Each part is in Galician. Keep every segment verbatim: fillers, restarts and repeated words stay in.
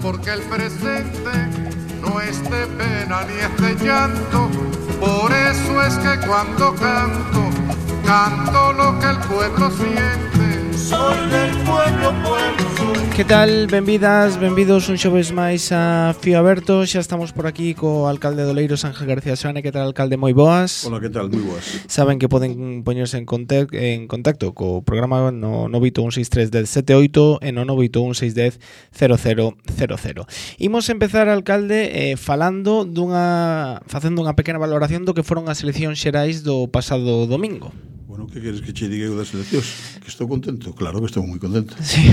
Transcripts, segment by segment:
porque el presente no es de pena ni es de llanto. Por eso es que cuando canto, canto lo que el pueblo siente. Soy del pueblo, pueblo soy. Que tal? Benvidas, benvidos un xoves máis a Fío Aberto. Xa estamos por aquí co alcalde de Oleiros, Ángel García Soane. Que tal, alcalde? Moi boas. Hola, que tal? Moi boas. Saben que poden poñerse en, contact, en contacto co programa no nove oito un seis tres un zero sete oito e no nove oito un seis un zero cero cero cero. Imos empezar, alcalde, eh, falando dunha facendo unha pequena valoración do que foron as eleccións xerais do pasado domingo. Bueno, que queres que che diga eu das eleccións? Que estou contento? Claro que estou moi contento. Sí.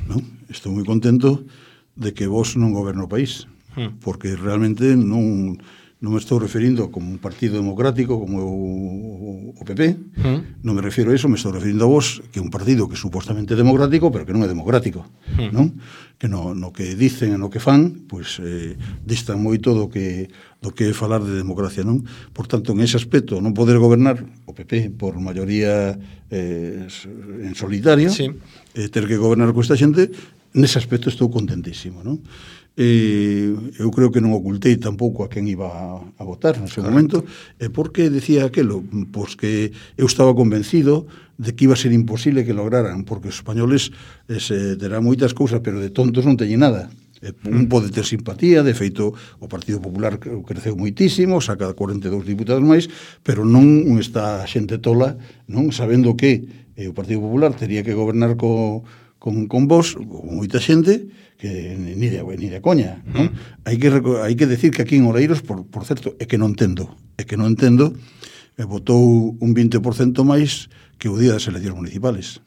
Non? Estou moi contento de que vos non goberno o país, hmm. porque realmente non, non me estou referindo como un partido democrático como o, o P P, hmm. non me refiro a iso, me estou referindo a vos, que é un partido que é supostamente democrático, pero que non é democrático, hmm. non? Que no, no que dicen e no que fan, pois eh, distan moito do que do que é falar de democracia, non? Por tanto, en ese aspecto, non poder gobernar o P P por maioría eh, en solitario, sí. eh, ter que gobernar con esta xente, nese aspecto estou contentísimo, non? Eh, eu creo que non ocultei tampouco a quen iba a, a votar nese momento. E por que decía aquelo? Pois que eu estaba convencido de que iba a ser imposible que lograran, porque os españoles eh, se terán moitas cousas, pero de tontos non teñen nada. Un pode ter simpatía, de feito o Partido Popular creceu moitísimo, saca cuarenta e dous diputados máis, pero non está xente tola, non sabendo que eh, o Partido Popular tería que gobernar co, con, con vos, con moita xente, que ni de, ni de coña, non? Mm. Hai que hai que decir que aquí en Oleiros, por, por certo, é que non entendo, é que non entendo, eh, votou un vinte por cento máis que o día das eleccións municipales.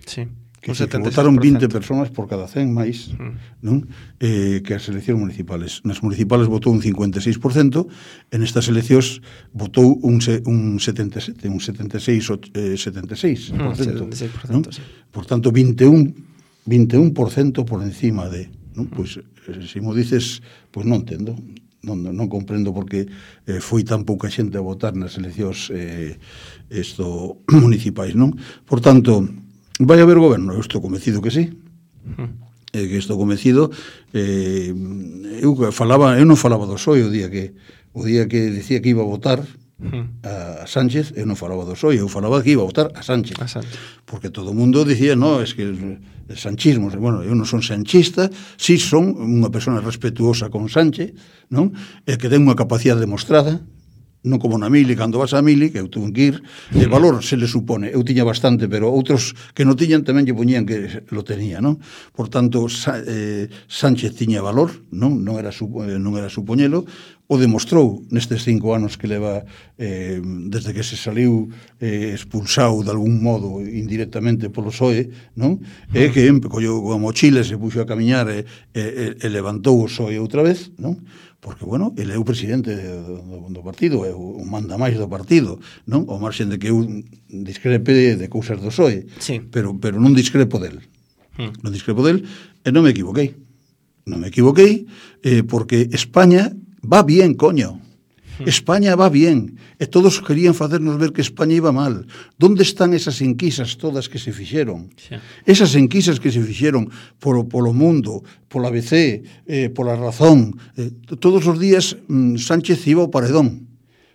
Sí. Que, que votaron vinte persoas por cada cen máis, mm. non? Eh, que as eleccións municipales. Nas municipales votou un cincuenta e seis por cento, en estas eleccións votou un, un setenta e sete, un setenta e seis, eh, setenta e seis por cento, mm, setenta e seis por cento, non? Sí. Por tanto, vinte e un por cento por encima de, non? Mm. Pois, eh, se mo dices, pois non entendo, non, non comprendo porque eh, foi tan pouca xente a votar nas eleccións eh, esto, municipais, non? Por tanto, vai haber goberno? Eu estou convencido que sí. Uh-huh. Eh, que estou convencido. Eh, eu falaba, eu non falaba do P S O E o día que o día que decía que iba a votar uh-huh. a Sánchez, eu non falaba do P S O E, eu falaba que iba a votar a Sánchez. A Sánchez. Porque todo o mundo dicía, no, es que el, el sanchismo, bueno, eu non son sanchista, si son unha persona respetuosa con Sánchez, non? E que ten unha capacidade demostrada, non como na Mili, cando vas a Mili, que eu tuve que ir, de valor se le supone, eu tiña bastante, pero outros que non tiñan tamén lle poñían que lo tenía, non? Por tanto, Sa, eh, Sánchez tiña valor, non? Non era, su, eh, non era supoñelo, o demostrou nestes cinco anos que leva eh, desde que se saliu eh, expulsado de algún modo indirectamente polo P S O E, non? E que colleu a mochila, se puxo a camiñar e, e, e levantou o P S O E outra vez, non? Porque, bueno, ele é o presidente do, do partido, é o manda máis do partido, non? O marxen de que eu discrepe de, de cousas do P S O E, sí. pero, pero non discrepo del. Hmm. Non discrepo del, e non me equivoquei. Non me equivoquei, eh, porque España va bien, coño. España va bien, e todos querían facernos ver que España iba mal. Donde están esas enquisas todas que se fixeron? Sí. Esas enquisas que se fixeron polo, polo mundo, pola A B C, eh, pola Razón, eh, todos os días mm, Sánchez iba ao paredón.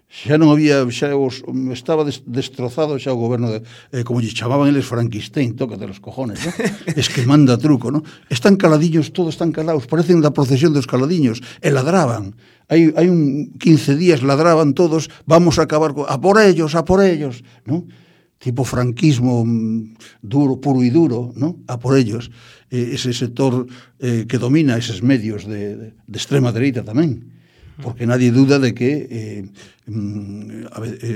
Xa non había, xa os, estaba des, destrozado xa o goberno de, eh, como lle chamaban eles Frankenstein, tócate los cojones, ¿no? Es que manda truco, ¿no? Están caladillos, todos están calados, parecen da procesión dos caladiños, e ladraban. Hai, hai un quince días ladraban todos, vamos a acabar con, a por ellos, a por ellos, ¿no? Tipo franquismo duro, puro y duro, ¿no? A por ellos. Eh, ese sector eh, que domina eses medios de, de, de extrema dereita tamén. Porque nadie duda de que eh,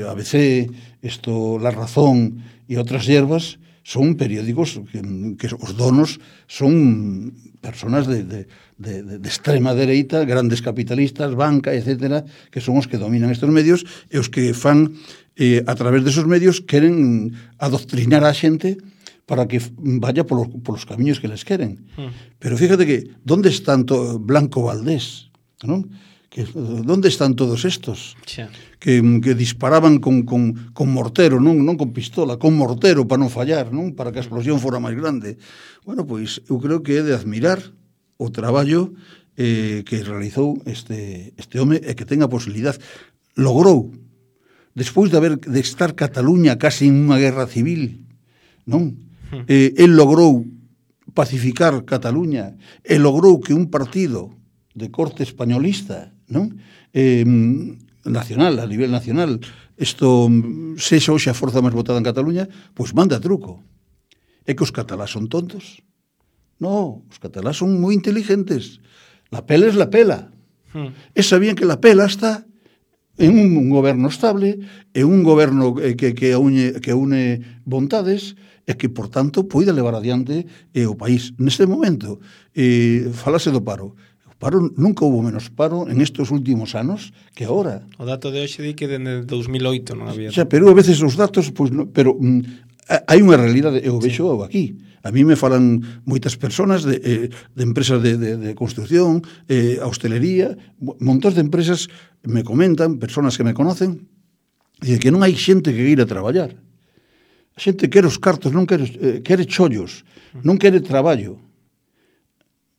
A B C, esto, La Razón e outras hierbas son periódicos que, que os donos son personas de, de, de, de extrema dereita, grandes capitalistas, banca, etcétera, que son os que dominan estes medios e os que fan, eh, a través desos medios, queren adoctrinar a xente para que vaya polos, polos camiños que les queren. Mm. Pero fíjate que, ¿dónde están to, Blanco Valdés? ¿No? Que, ¿dónde están todos estos? Sí. Que, que disparaban con, con, con mortero, non, non con pistola, con mortero para non fallar, non? Para que a explosión fora máis grande. Bueno, pois eu creo que é de admirar o traballo eh, que realizou este, este home e que ten a posibilidad. Logrou, despois de haber de estar Cataluña casi en unha guerra civil, non? Eh, el logrou pacificar Cataluña e logrou que un partido de corte españolista, non? Eh, nacional, a nivel nacional, isto sexa hoxe a forza máis votada en Cataluña, pois manda truco. É que os catalás son tontos? No, os catalás son moi inteligentes. La pela es la pela. Hmm. E sabían que la pela está en un, un goberno estable, en un goberno que, que, une, que une vontades, e que, por tanto, poida levar adiante eh, o país. Neste momento, eh, falase do paro. Paro, nunca hubo menos paro en estos últimos anos que ahora. O dato de hoxe di que desde dous mil oito non había. O sea, pero a veces os datos, pues, no, pero mm, hai unha realidade, eu vexo sí. aquí. A mí me falan moitas persoas de, eh, de empresas de, de, de construcción, eh, a hostelería, montón de empresas me comentan, persoas que me conocen, e que non hai xente que ir a traballar. A xente quere os cartos, non quere, eh, quere chollos, non quere traballo.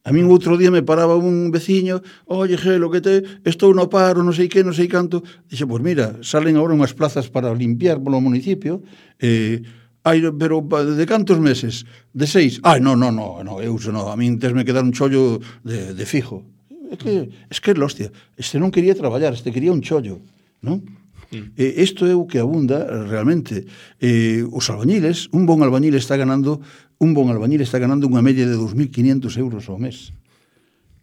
A min outro día me paraba un veciño, oye, Gelo, que te, estou no paro, non sei que, non sei canto. Dixe, pois mira, salen agora unhas plazas para limpiar polo municipio, eh, ai, pero de cantos meses? De seis? Ai, non, non, non, no, eu non, a min tesme que dar un chollo de, de fijo. É que, es que é hostia, este non quería traballar, este quería un chollo, non? Mm. Eh, isto é o que abunda realmente. Eh, os albañiles, un bon albañil está ganando un bon albañil está ganando unha media de dos mil quinientos euros ao mes.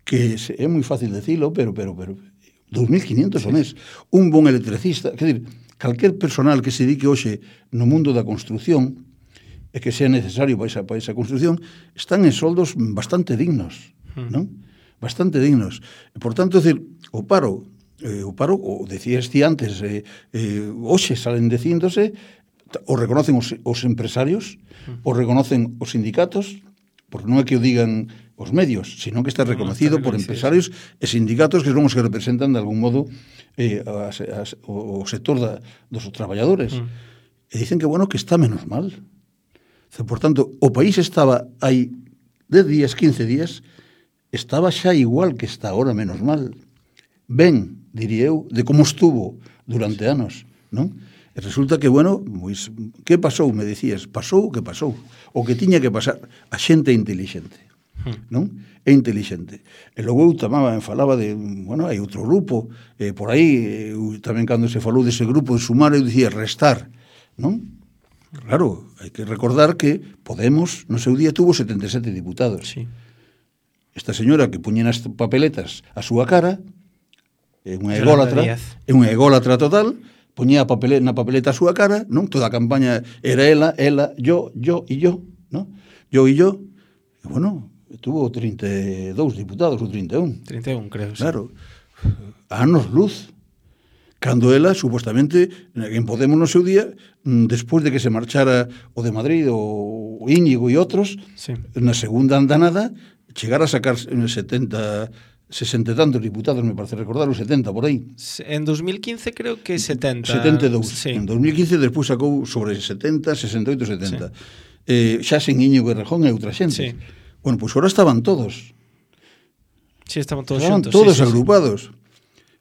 Que é moi fácil decilo, pero pero pero dos mil quinientos ao mes. Un bon electricista, quer dizer, calquer personal que se dedique hoxe no mundo da construción e que sea necesario para esa, para esa construción, están en soldos bastante dignos, mm. non? Bastante dignos. E, por tanto, decir, o paro Eh, o paro, o decías ti antes, eh, eh, hoxe salen dicíndose, o reconocen os, os empresarios, o reconocen os sindicatos, porque non é que o digan os medios, sino que está reconocido no, por empresarios e sindicatos que son os que representan de algún modo eh, a, a, o, o sector da, dos traballadores. Mm. E dicen que, bueno, que está menos mal. Por tanto, o país estaba hai dez días, quince días, estaba xa igual que está ahora, menos mal. Ben, diría eu, de como estuvo durante anos, non? E resulta que, bueno, pois, que pasou, me dicías? Pasou o que pasou. O que tiña que pasar. A xente é intelixente, non? É intelixente. E logo eu tamén falaba de, bueno, hai outro grupo, eh, por aí, eu, tamén cando se falou dese grupo de sumar, eu dicía restar, non? Claro, hai que recordar que Podemos, no seu día, tuvo setenta e sete diputados. Sí. Esta señora que puñen as papeletas a súa cara, é unha ególatra, é unha ególatra total, poñía a papeleta, na papeleta a súa cara, non? Toda a campaña era ela, ela, yo, yo e yo, non? Yo e yo. E, bueno, tuvo trinta e dous diputados, ou trinta e un. trinta e un, creo, sí. Claro. A anos luz. Cando ela, supostamente, en Podemos no seu día, despois de que se marchara o de Madrid, o Íñigo e outros, sí. Na segunda andanada, chegar a sacar setenta... sesenta e tantos diputados, me parece recordar, os setenta por aí. En dos mil quince creo que setenta. setenta e dous. Sí. En dos mil quince despois sacou sobre setenta, sesenta e oito, setenta. Sí. Eh, xa sen Íñigo Errejón e outra xente. Sí. Bueno, pois pues ahora estaban todos. Sí, estaban todos estaban xuntos. todos sí, agrupados. Sí.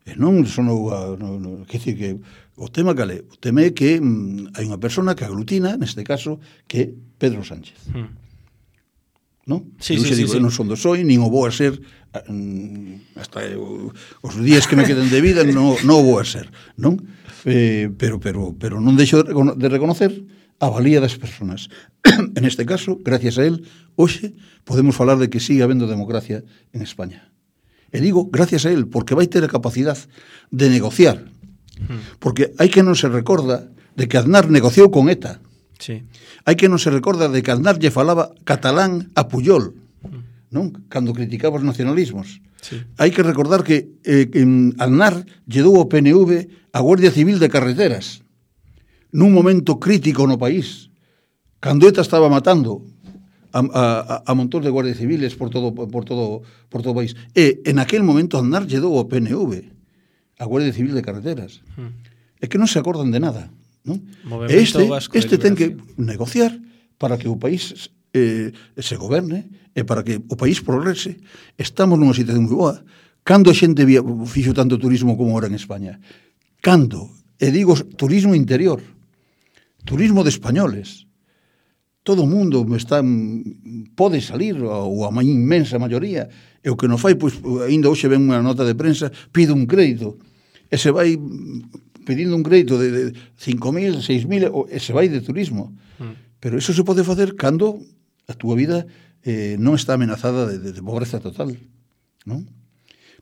E non sonou a... No, no, que decir que o tema cale, o tema é que mm, hai unha persona que aglutina, neste caso, que é Pedro Sánchez. Hmm. Non? Sí, eu sí, xe digo, sí, eu non son do soy, nin o vou a ser hasta eu, os días que me queden de vida non, non o vou a ser, non? Eh, pero, pero, pero non deixo de reconocer a valía das persoas. En este caso, gracias a él, hoxe podemos falar de que sigue habendo democracia en España. E digo, gracias a él, porque vai ter a capacidad de negociar. Porque hai que non se recorda de que Aznar negociou con ETA. Sí. Hai que non se recorda de que Aznar lle falaba catalán a Puyol, non? Cando criticaba os nacionalismos. Sí. Hai que recordar que, eh, que Aznar lle dou ao P N V a Guardia Civil de Carreteras nun momento crítico no país, cando ETA estaba matando a, a, a montón de guardias civiles por todo, por todo, por todo o país. E en aquel momento Aznar lle dou ao P N V a Guardia Civil de Carreteras. Hmm. É que non se acordan de nada. Non? Este, este ten que negociar para que o país eh, se goberne e para que o país progrese. Estamos nunha situación moi boa. Cando a xente via, fixo tanto turismo como ahora en España? Cando? E digo turismo interior, turismo de españoles. Todo o mundo está, pode salir, ou a inmensa maioría, e o que non fai, pois, ainda hoxe ven unha nota de prensa, pide un crédito, e se vai pedindo un crédito de, de cinco mil, seis mil, e se vai de turismo. Mm. Pero eso se pode facer cando a túa vida eh, non está amenazada de, de, de pobreza total, non?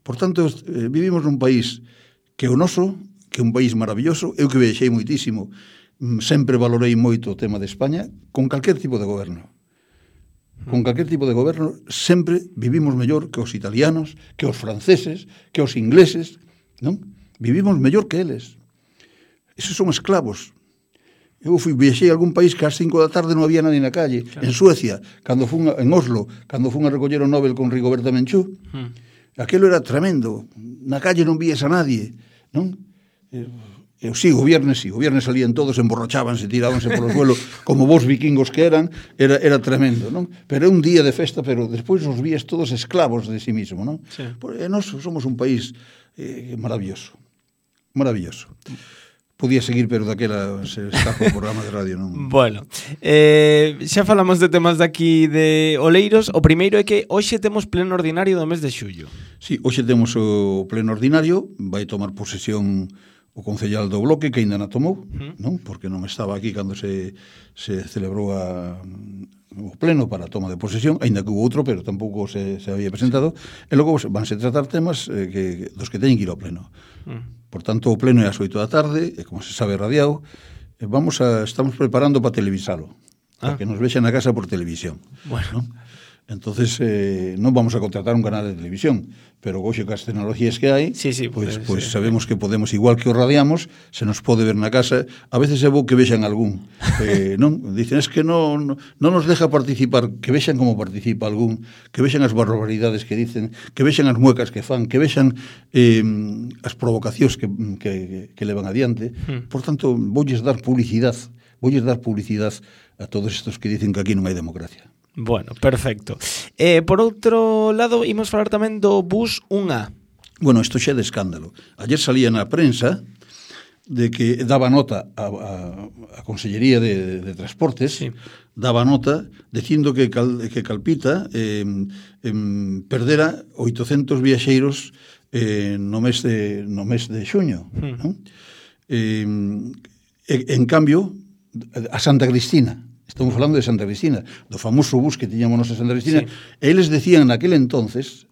Por tanto, eh, vivimos nun país que é o noso, que é un país maravilloso, eu que viaxei moitísimo, sempre valorei moito o tema de España, con calquer tipo de goberno. Con calquer tipo de goberno, sempre vivimos mellor que os italianos, que os franceses, que os ingleses, non? Vivimos mellor que eles. Esos son esclavos. Eu fui, viaxei a algún país que ás cinco da tarde non había nadie na calle. Claro. En Suecia, cando fun, en Oslo, cando fun a recoller o Nobel con Rigoberta Menchú, hmm. aquilo era tremendo. Na calle non vías a nadie, non? Eu sí, o viernes sí, o viernes salían todos, emborrachábanse, tirábanse por o suelo, como vos vikingos que eran, era, era tremendo, non? Pero é un día de festa, pero despois os vías todos esclavos de sí mismo, non? Sí. Porque nós somos un país eh, maravilloso, maravilloso. Podía seguir, pero daquela se escapa o programa de radio, non? Bueno, eh, xa falamos de temas daqui de Oleiros. O primeiro é que hoxe temos pleno ordinario do mes de xullo. Sí, hoxe temos o pleno ordinario, vai tomar posesión o concellal do Bloque, que ainda non tomou, uh-huh. non? Porque non estaba aquí cando se, se celebrou a, o pleno para a toma de posesión, ainda que hubo outro, pero tampouco se, se había presentado, e logo vanse tratar temas eh, que, dos que teñen que ir ao pleno. Uh-huh. Por tanto, o pleno é ás oito da tarde, e como se sabe radiado, e vamos a, estamos preparando para televisalo, ah. para que nos vexan na casa por televisión. Bueno. ¿No? Entonces, eh, non vamos a contratar un canal de televisión, pero hoxe cas tecnologías que hai, sí, sí, pues, pues, pues sí. sabemos que podemos, igual que o radiamos, se nos pode ver na casa. A veces é bo que vexan algún, eh, non? Dicen, es que non, non nos deja participar, que vexan como participa algún, que vexan as barbaridades que dicen, que vexan as muecas que fan, que vexan eh, as provocacións que, que, que levan adiante. Hmm. Por tanto, voulles dar publicidade, voulles dar publicidade a todos estos que dicen que aquí non hai democracia. Bueno, perfecto. Eh, por outro lado, imos falar tamén do bus un A. Bueno, isto xa é de escándalo. Ayer salía na prensa de que daba nota a, a, a Consellería de, de Transportes, sí. daba nota dicindo que, Cal, que Calpita eh, eh, perdera oitocentos viaxeiros eh, no mes de, no mes de xuño. Hmm. ¿No? Eh, en cambio, a Santa Cristina, estamos falando de Santa Cristina, do famoso bus que tiñamos nos a Santa Cristina, sí. E eles decían naquel entonces,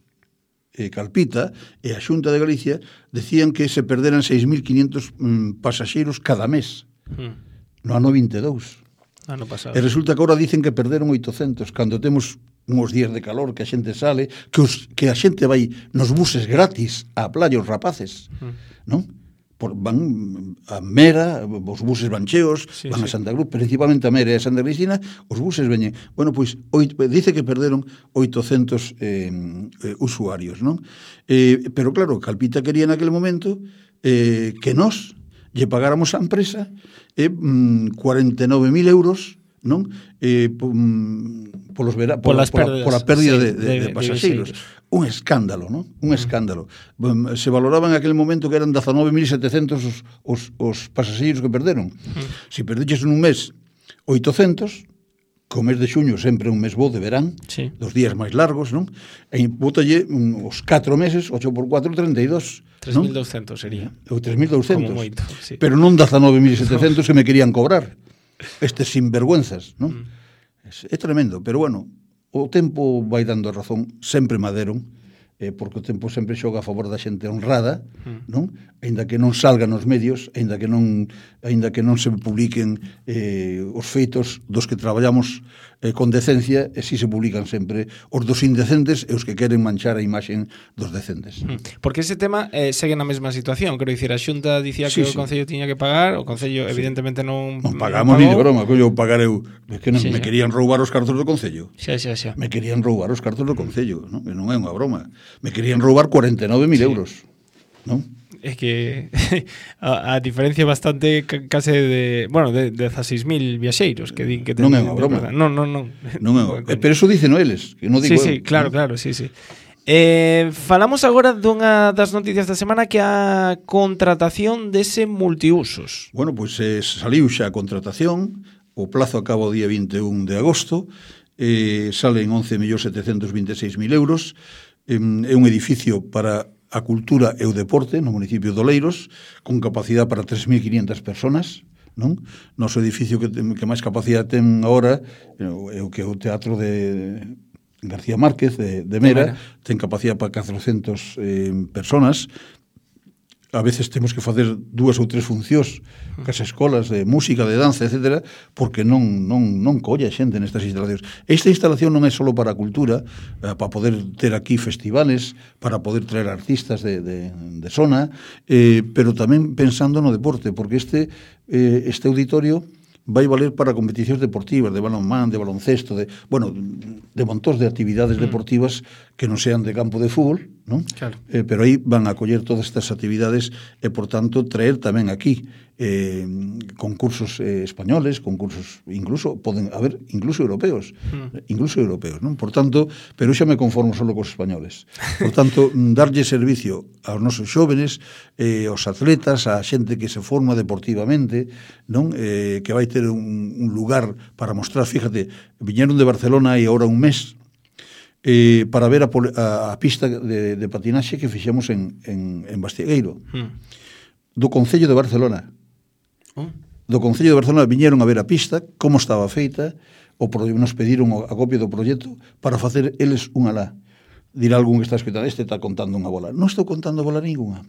eh, Calpita e a Xunta de Galicia decían que se perderan seis mil quinientos mm, pasaxeiros cada mes, mm. no ano vinte e dous. Ano pasado. E resulta que agora dicen que perderon oitocentos, cando temos uns días de calor que a xente sale, que, os, que a xente vai nos buses gratis á playa os rapaces, mm. non? Por, van a Mera, os buses van cheos, sí, van sí. a Santa Cruz, principalmente a Mera e a Santa Cristina, os buses veñen. Bueno, pois, oito, dice que perderon oitocentos eh, eh, usuarios, non? Eh, pero claro, Calpita quería naquele momento eh, que nós lle pagáramos á empresa eh, cuarenta e nove mil euros, non? Eh, polos vera, por, polas por, por a pérdida sí, de, de, de pasaxeiros. Un escándalo, non? Un escándalo. Mm. Se valoraba en aquel momento que eran dezanove mil setecentos os, os, os pasaxeiros que perderon. Mm. Se perdiches nun mes oitocentos, co mes de xuño sempre un mes bo de verán, sí. dos días máis largos, non? E bótalle um, os catro meses, ocho por cuatro, treinta e dos. tres mil doscientos sería. Ou tres mil doscientos. Como moito, sí. Pero non dezanove mil setecentos que me querían cobrar. Estes sinvergüenzas, non? Mm. É tremendo, pero bueno, o tempo vai dando a razón, sempre maderon, eh, porque o tempo sempre xoga a favor da xente honrada, mm. non? Aínda que non salgan nos medios, aínda que non aínda que non se publiquen eh, os feitos dos que traballamos eh, con decencia, e si se publican sempre os dos indecentes e os que queren manchar a imaxen dos decentes. Mm. Porque ese tema eh, segue na mesma situación, quero dicir, a Xunta dicía sí, que sí. o Concello tiña que pagar, o Concello sí. evidentemente non non pagamos non ni de broma, que eu pagar eu, é que non, sí, me sí. querían roubar os cartos do Concello. Xa, xa, xa. Me querían roubar os cartos do Concello, non? Que non é unha broma. Me querían roubar cuarenta e nove mil sí. euros, non? é que a, a diferencia é bastante case de, bueno, de dezaseis mil viaxeiros que din que ten. Non é unha broma. Non, non, non. Non é unha, pero eso dicen eles, que non digo. Sí, sí, eu, claro, ¿no? claro, sí, sí. Eh, falamos agora dunha das noticias da semana, que é a contratación dese multiusos. Bueno, pois pues, eh, saliu xa a contratación, o plazo acaba o día vinte e un de agosto, eh, salen once millóns setecentos vinte e seis mil euros, eh, é un edificio para a cultura e o deporte no municipio de Oleiros, con capacidade para tres mil quinientas personas, non? Noso edificio que, que máis capacidade ten agora é o que é o Teatro de García Márquez de, de Mera, de Mera, ten capacidade para catrocentas eh, personas. A veces temos que facer dúas ou tres funcións cas escolas de música, de danza, etcétera, porque non, non, non colla xente nestas instalacións. Esta instalación non é só para a cultura, eh, para poder ter aquí festivales, para poder traer artistas de, de, de zona, eh, pero tamén pensando no deporte, porque este, eh, este auditorio vai valer para competicións deportivas, de balonmán, de baloncesto, de, bueno, de montóns de actividades mm. deportivas que non sean de campo de fútbol, non? Claro. Eh, pero aí van a coller todas estas actividades e, por tanto, traer tamén aquí eh, concursos eh, españoles, concursos incluso, poden haber incluso europeos, mm. incluso europeos, non? Por tanto, pero xa me conformo solo cos españoles. Por tanto, darlle servicio aos nosos xóvenes, eh, aos atletas, a xente que se forma deportivamente, non? Eh, que vai ter un, un lugar para mostrar, fíjate, viñeron de Barcelona e ahora un mes, eh, para ver a, a, a pista de, de patinaxe que fixemos en, en, en Bastiegueiro, mm. do Concello de Barcelona. Oh. Do Concello de Barcelona viñeron a ver a pista, como estaba feita, o pro, nos pediron a copia do proxecto para facer eles unha lá. Dirá algún que está escutando, este está contando unha bola. Non estou contando bola ninguna.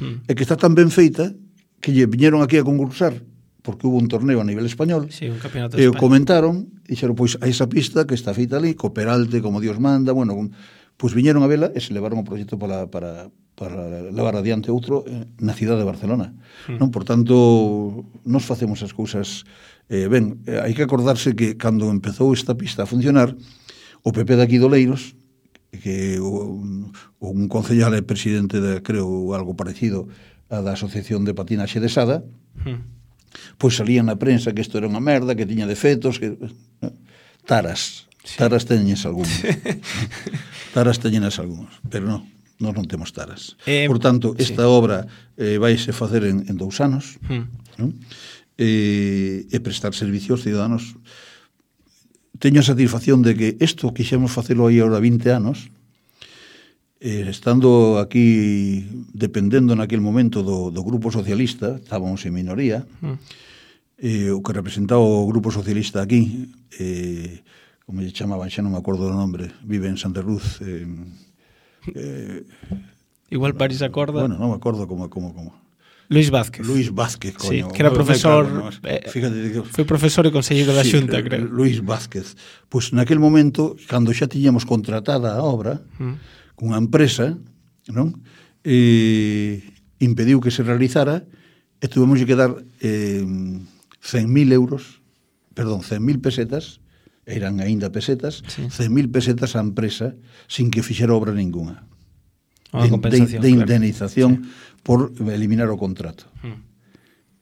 Mm. É que está tan ben feita que lle viñeron aquí a concursar, porque hubo un torneo a nivel español, sí, un campeonato e o comentaron, e dixeron, pois, a esa pista que está feita ali, co Peralte, como Dios manda, bueno, pois viñeron a vela e se levaron o proxecto para, para, para levar adiante outro na cidade de Barcelona. Mm. Non? Por tanto, nos facemos as cousas eh, ben. Eh, hai que acordarse que cando empezou esta pista a funcionar, o P P de aquí de Oleiros, que o, un concellal é presidente de, creo, algo parecido a da Asociación de Patinaxe de Sada, mm. pois salían na prensa que isto era unha merda, que tiña defectos, que taras, sí. taras teñes algúns. Taras teñenas algúns, pero non, nós non temos taras. Eh, Por tanto, esta sí. obra eh, vaise facer en, en dous anos, hmm. non? E, e prestar servicios ciudadanos. Teño a satisfacción de que isto quixemos facelo aí ahora vinte anos, Eh, estando aquí dependendo naquel momento do, do Grupo Socialista, estábamos en minoría, mm. eh, o que representaba o Grupo Socialista aquí, eh, como lle chamaban, xa non me acordo do nombre, vive en Santa Cruz. Eh, eh, Igual París acorda. Bueno, non me acordo como... como, como. Luis Vázquez. Luis Vázquez, coño. Sí, que era profesor, no, eh, fíjate que foi profesor e conselleiro da sí, Xunta, creo. Luis Vázquez. Pois pues, naquel momento, cando xa tiñamos contratada a obra, mm. unha empresa, non? E impediu que se realizara e tuvemos que dar eh, cen mil euros, perdón, cen mil pesetas, eran aínda pesetas, sí. cen mil pesetas á empresa sin que fixera obra ninguna. De, de, de indemnización claro. Sí. por eliminar o contrato. Mm.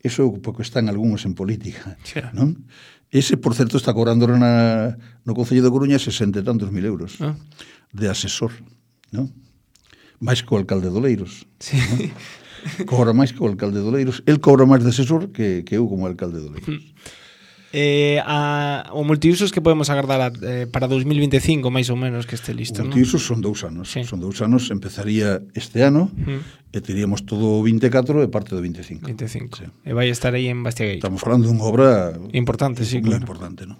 Eso porque están algúns en política, sí. non? Ese, por certo, está cobrando na, no Concello de Coruña sesenta e tantos mil euros ah. de asesor. Non? máis que o alcalde de Oleiros. Sí. Non? Cobra máis que o alcalde de Oleiros. El cobra máis de asesor que, que eu como alcalde de Oleiros. Eh, a, o multiusos que podemos agardar a, eh, para dos mil vinte e cinco máis ou menos que este listo, non? Multiusos son dous anos. Sí. Son dous anos, empezaría este ano mm. e teríamos todo o vinte e catro e parte do vinte e cinco. vinte e cinco. Sí. E vai estar aí en Bastiegueiro. Estamos falando dunha obra importante, sí, moi claro. importante, non?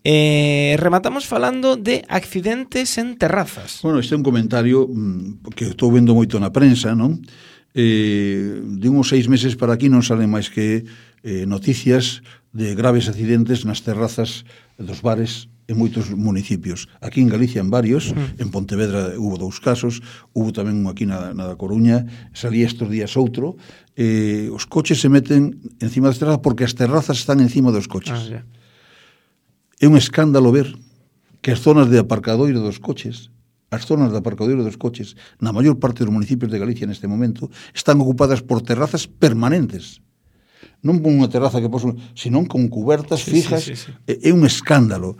Eh, rematamos falando de accidentes en terrazas. Bueno, este é un comentario mmm, que estou vendo moito na prensa, non? Eh, de uns seis meses para aquí non salen máis que eh, noticias de graves accidentes nas terrazas dos bares en moitos municipios. Aquí en Galicia en varios, mm. en Pontevedra hubo dous casos, hubo tamén aquí na, na da Coruña, salía estes días outro. Eh, os coches se meten encima das terrazas porque as terrazas están encima dos coches. Ah, yeah. É un escándalo ver que as zonas de aparcadoiro dos coches as zonas de aparcadoiro dos coches na maior parte dos municipios de Galicia neste momento están ocupadas por terrazas permanentes. Non con unha terraza que poso, senón con cubertas sí, fijas. Sí, sí, sí. É, é un escándalo.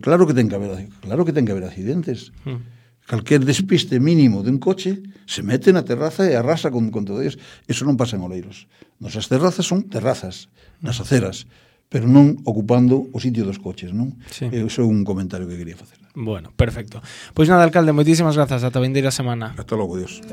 Claro que ten que haber, claro que ten que haber accidentes. Mm. Calquer despiste mínimo de un coche se mete na terraza e arrasa con, con todo ellos. Eso non pasa en Oleiros. Nosas terrazas son terrazas, nas aceras, pero non ocupando o sitio dos coches, non? Sí. Eso é un comentario que quería facer. Bueno, perfecto. Pois nada, alcalde, moitísimas grazas. Ata a vindeira semana. Hasta logo, Dios.